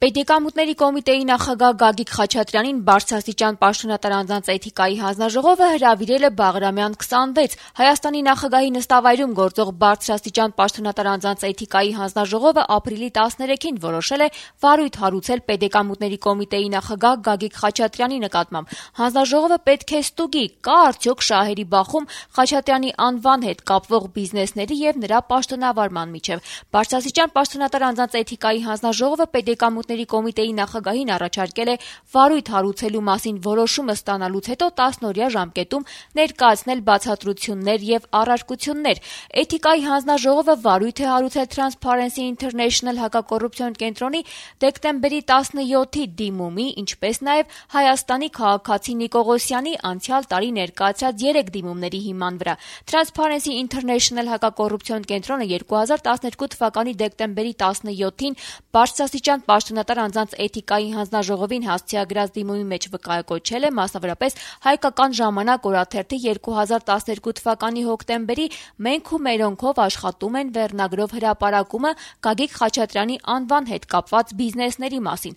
Պետեկամուտների կոմիտեի նախագահ Գագիկ Խաչատրյանին բարձրաստիճան պաշտոնատար անձանց էթիկայի հանձնաժողովը հրավիրել է Բաղրամյան 26։ Հայաստանի նախագահի նստավայրում գործող բարձրաստիճան պաշտոնատար անձանց էթիկայի հանձնաժողովը ապրիլի 13-ին որոշել է վարույթ հարուցել Պետեկամուտների կոմիտեի նախագահ Գագիկ Խաչատրյանի նկատմամբ։ Հանձնաժողովը պետք է ստուգի, կա արդյոք շահերի բախում Խաչատրյանի անվան հետ կապվող բիզնեսների եւ նրա պաշտոնավարման միջեւ։ Բարձրաստիճան պաշտոնատար անձանց էթիկայի հանձնաժողովը Պետեկամուտ կոմիտեի նախագահին առաջարկել է վարույթ հարուցելու մասին որոշումը ստանալուց հետո 10-օրյա ժամկետում ներկայացնել բացատրություններ եւ առարկություններ։ Էթիկայի հանձնաժողովը վարույթ է հարուցել Transparency International հակակոռուպցիոն կենտրոնի դեկտեմբերի 17-ի դիմումի, ինչպես նաեւ Հայաստանի քաղաքացի Նիկողոսյանի անցյալ տարի ներկայացրած 3 դիմումների հիման վրա։ Transparency International հակակոռուպցիոն կենտրոնը 2012 թվականի դեկտեմբերի 17-ին բարձրաստիճան պաշտոնատար անձանց էթիկայի հանձնաժողովին հասցեագրած դիմումի մեջ վկայակոչել է մասնավորապես Հայկական ժամանակ օրաթերթի 2012 թվականի հոկտեմբերի «Մենք ու մերոնքով աշխատում են» վերնագրով հրապարակումը Գագիկ Խաչատրյանի անվան հետ կապված բիզնեսների մասին։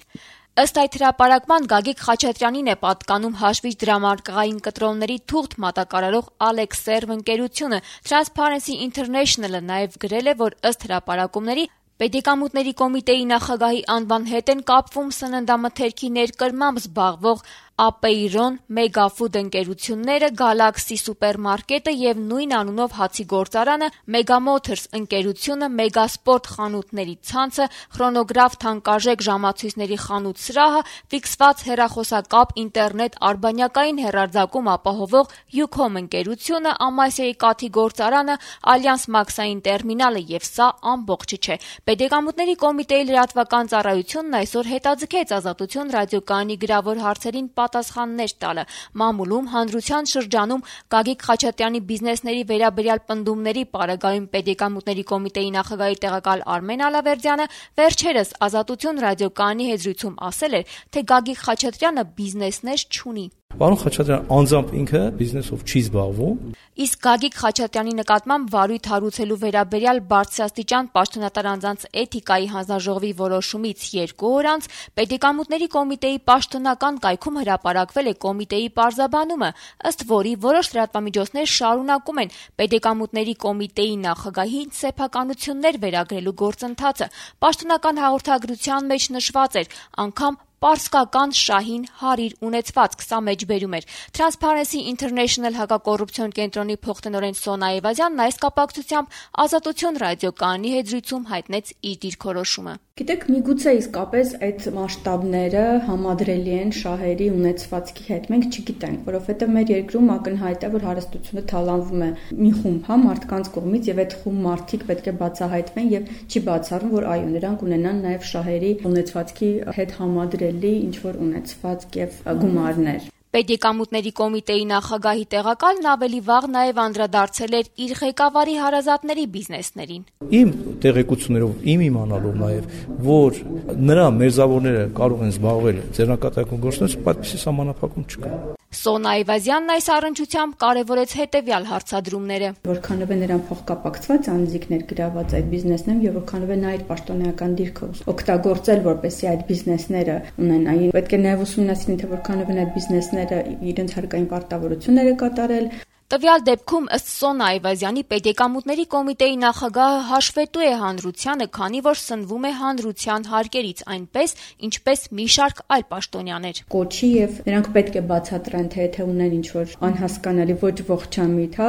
Ըստ այդ հրապարակման Գագիկ Խաչատրյանին է պատկանում հաշվիչ դրամարկղային կտրոնների թուղթ մատակարարող Alex Serve ընկերությունը։ Transparency International-ը նաև գրել է, որ ըստ հրապարակումների Պետեկամուտների կոմիտեի նախագահի անվան հետ են կապվում սննդամթերքի ներկրմամբ զբաղվող Ապեյրոն, Մեգաֆուդ ընկերությունները, Գալաքսի սուպերմարկետը եւ նույն անունով հացի գործարանը, Մեգամոթորս ընկերությունը, Մեգասպորտ խանութների ցանցը, Խրոնոգրաֆ թանկարժեք ժամացույցների խանութ սրահը, ֆիքսված հեռախոսակապ, ինտերնետ, արբանյակային հեռարձակում ապահովող Յուքոմ ընկերությունը, Ամասիայի կաթի գործարանը, Ալյանս մաքսային տերմինալը եւ սա ամբողջը չէ։ Պետեկամուտների կոմիտեի լրատվական ծառայությունն այսօր հետաձգեց Ազատություն ռադիոկայանի գրավոր հարցերին պատասխաններ տալը։ Մամուլում հանրության շրջանում Գագիկ Խաչատրյանի բիզնեսների վերաբերյալ պնդումների պարագայում Պետեկամուտների կոմիտեի նախագահի տեղակալ Արմեն Ալավերդյանը վերջերս Ազատություն ռադիոկայանի հետ զրույցում ասել էր, թե Գագիկ Խաչատրյանը բիզնեսներ չունի։ Պարոն Խաչատրյան անձամբ ինքը բիզնեսով չի զբաղվում։ Իսկ Գագիկ Խաչատրյանի նկատմամբ վարույթ հարուցելու վերաբերյալ բարձրաստիճան պաշտոնատար անձանց էթիկայի հանձնաժողովի որոշումից 2 օր անց Պետեկամուտների կոմիտեի պաշտոնական կայքում հրապարակվել է կոմիտեի պարզաբանումը, ըստ որի որոշ լրատվամիջոցներ շարունակում են Պետեկամուտների կոմիտեի նախագահին սեփականություններ վերագրելու գործընթացը։ Պաշտոնական հաղորդագրության մեջ նշված էր անգամ պարսկական շահին հարիր ունեցվածք, սա մեջբերում էր։ Transparency International հակակոռուպցիոն կենտրոնի փոխտնօրեն Սոնա Էվազյանն այս կապակցությամբ Ազատություն ռադիոկայանի հետ զրույցում հայտնեց իր դիրքորոշումը։ Գիտեք, միգուցե իսկապես այդ մասշտաբները համադրելի են շահերի ունեցվածքի հետ։ Մենք չգիտենք, որովհետև մեր երկրում ակնհայտ է, որ հարստությունը թալանվում է մի խումբ մարդկանց կողմից եւ այդ խումբ մարդիկ պետք է բացահայտվեն եւ չի բացառում, որ այո, նրանք ունենան նաեւ շահերի ունեցվածքի հետ համադրելի ինչ-որ ունեցվածք եւ գումարներ։ Պետեկամուտների կոմիտեի նախագահի տեղակալն ավելի վաղ նաև անդրադարձել էր իր ղեկավարի հարազատների բիզնեսներին։ Իմ տեղեկություններով, իմ իմանալով նաև, որ նրա մերձավորները կարող են զբաղվել ձեռնարկատիրական գործունեությամբ, այդպիսի սահմանափակում չկա։ Սոնա Էվազյանն այս առնչությամբ կարևորեց հետևյալ հարցադրումները։ Որքանով է նրան փոխկապակցված անձիկներ գրաված այդ բիզնեսներում եւ որքանով է նա իր պաշտոնեական դիրքը օգտագործել, որպեսզի այդ բիզնեսները ունենային։ Պետք է նաև ուսումնասիրել, թե որքանով են այդ բիզնեսները իրենց հարկային պարտավորությունները կատարել։ Տվյալ դեպքում ըստ Սոնա Էվազյանի Պետեկամուտների կոմիտեի նախագահը հաշվետու է հանրությանը, քանի որ սնվում է հանրության հարկերից, այնպես ինչպես մի շարք այլ պաշտոնյաներ։ Կոչի եւ նրանք պետք է բացատրեն, թե ունեն ինչ-որ անհասկանալի ոչ ողջամիտ,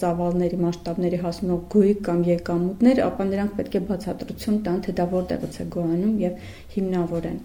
ծավալների մասշտաբների հասնող գույք կամ եկամուտներ, ապա նրանք պետք է բացատրություն տան, թե դա որտեղից է գոյանում եւ հիմնավորեն։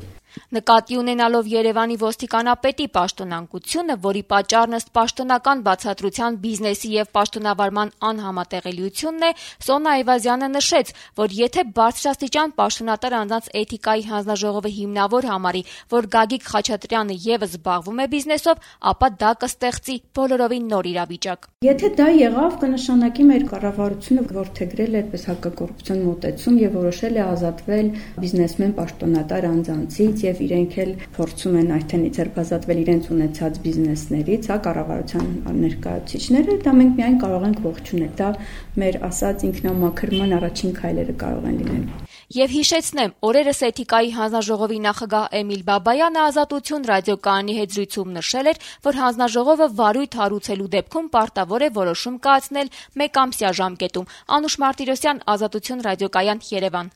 Նկատի ունենալով Երևանի ոստիկանապետի պաշտոնանկությունը, որի պատճառն ըստ պաշտոնական բացատրության բիզնեսի եւ պաշտոնավարման անհամատեղելիությունն է, Սոնա Էվազյանը նշեց, որ եթե բարձրաստիճան պաշտոնատար անձանց էթիկայի հանձնաժողովը հիմնավոր համարի, որ Գագիկ Խաչատրյանը եւս զբաղվում է բիզնեսով, ապա դա կստեղծի բոլորովին նոր իրավիճակ։ Եթե դա եղավ, կնշանակի մեր կառավարությունը որդեգրել է այդպես հակակոռուպցիոն մոտեցում եւ որոշել է ազատվել բիզնեսմեն պաշտոնատար անձանցից եւ իրենք էլ փորձում են արդեն ձերբազատվել իրենց ունեցած բիզնեսներից, կառավարության ներկայացուցիչները, դա մենք միայն կարող ենք ողջունել։ Դա մեր ասած ինքնամաքրման առաջին քայլերը կարող են լինել։ Եվ հիշեցնեմ, օրերս Էթիկայի հանձնաժողովի նախագահ Էմիլ Բաբայանը Ազատություն ռադիոկայանի հետ զրույցում նշել էր, որ հանձնաժողովը վարույթ հարուցելու դեպքում պարտավոր է որոշում կայացնել 1 ամսյա ժամկետում։ Անուշ Մարտիրոսյան, Ազատություն ռադիոկայան, Երևան։